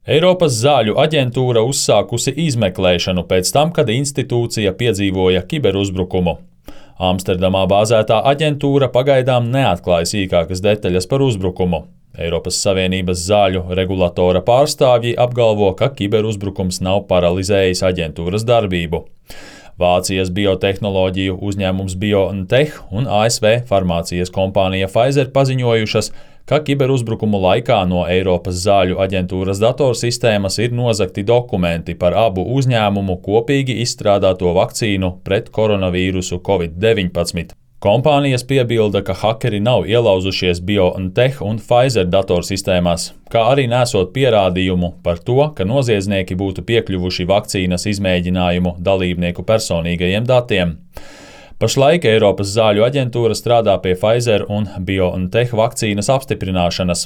Eiropas zāļu aģentūra uzsākusi izmeklēšanu pēc tam, kad institūcija piedzīvoja kiberuzbrukumu. Amsterdamā bāzētā aģentūra pagaidām neatklāja sīkākas detaļas par uzbrukumu. Eiropas Savienības zāļu regulatora pārstāvji apgalvo, ka kiberuzbrukums nav paralizējis aģentūras darbību. Vācijas biotehnoloģiju uzņēmums BioNTech un ASV farmācijas kompānija Pfizer paziņojušas, ka kiberuzbrukumu laikā no Eiropas zāļu aģentūras datorsistēmas ir nozagti dokumenti par abu uzņēmumu kopīgi izstrādāto vakcīnu pret koronavīrusu Covid-19. Kompānijas piebilda, ka hakeri nav ielauzušies BioNTech un Pfizer datorsistēmās, kā arī nesot pierādījumu par to, ka noziedznieki būtu piekļuvuši vakcīnas izmēģinājumu dalībnieku personīgajiem datiem. Pašlaik Eiropas zāļu aģentūra strādā pie Pfizer un BioNTech vakcīnas apstiprināšanas.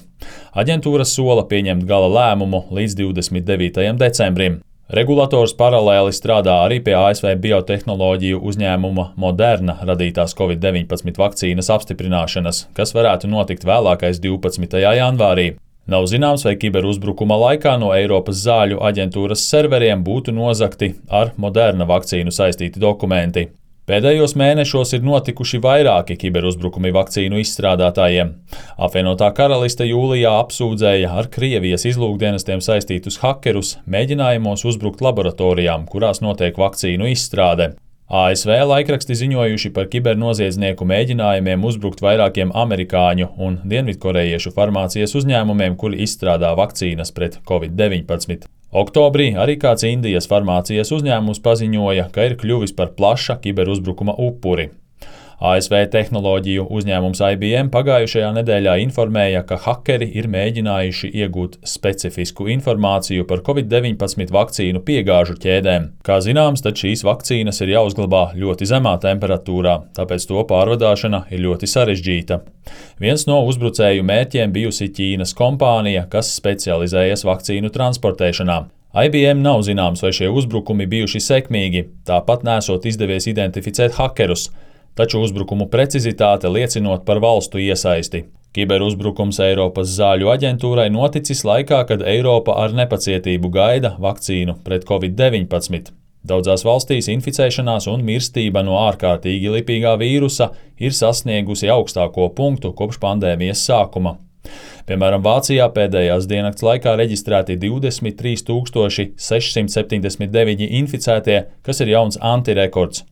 Aģentūra sola pieņemt gala lēmumu līdz 29. decembrim. Regulators paralēli strādā arī pie ASV biotehnoloģiju uzņēmuma Moderna radītās Covid-19 vakcīnas apstiprināšanas, kas varētu notikt vēlākais 12. janvārī. Nav zināms, vai kiberuzbrukuma laikā no Eiropas zāļu aģentūras serveriem būtu nozagti ar Moderna vakcīnu saistīti dokumenti. Pēdējos mēnešos ir notikuši vairāki kiberuzbrukumi vakcīnu izstrādātājiem. Apvienotā karaliste jūlijā apsūdzēja ar Krievijas izlūkdienestiem saistītus hakerus mēģinājumos uzbrukt laboratorijām, kurās notiek vakcīnu izstrāde. ASV laikraksti ziņojuši par kibernoziedznieku mēģinājumiem uzbrukt vairākiem amerikāņu un dienvidkorejiešu farmācijas uzņēmumiem, kuri izstrādā vakcīnas pret Covid-19. Oktobrī arī kāds Indijas farmācijas uzņēmums paziņoja, ka ir kļuvis par plaša kiberuzbrukuma upuri. ASV tehnoloģiju uzņēmums IBM pagājušajā nedēļā informēja, ka hakeri ir mēģinājuši iegūt specifisku informāciju par Covid-19 vakcīnu piegāžu ķēdēm. Kā zināms, tad šīs vakcīnas ir jāuzglabā ļoti zemā temperatūrā, tāpēc to pārvadāšana ir ļoti sarežģīta. Viens no uzbrucēju mērķiem bijusi Ķīnas kompānija, kas specializējas vakcīnu transportēšanā. IBM nav zināms, vai šie uzbrukumi bijuši sekmīgi, tāpat nesot izdevies identificēt hakerus, taču uzbrukumu precizitāte liecinot par valstu iesaisti. Kiberuzbrukums Eiropas zāļu aģentūrai noticis laikā, kad Eiropa ar nepacietību gaida vakcīnu pret Covid-19. Daudzās valstīs inficēšanās un mirstība no ārkārtīgi lipīgā vīrusa ir sasniegusi augstāko punktu kopš pandēmijas sākuma. Piemēram, Vācijā pēdējās diennakts laikā reģistrēti 23 679 inficētie, kas ir jauns antirekords.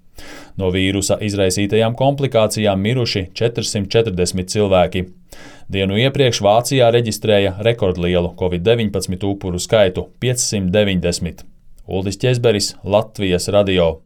No vīrusa izraisītajām komplikācijām miruši 440 cilvēki. Dienu iepriekš Vācijā reģistrēja rekordlielu Covid-19 upuru skaitu – 590. Uldis Ķezberis, Latvijas radio.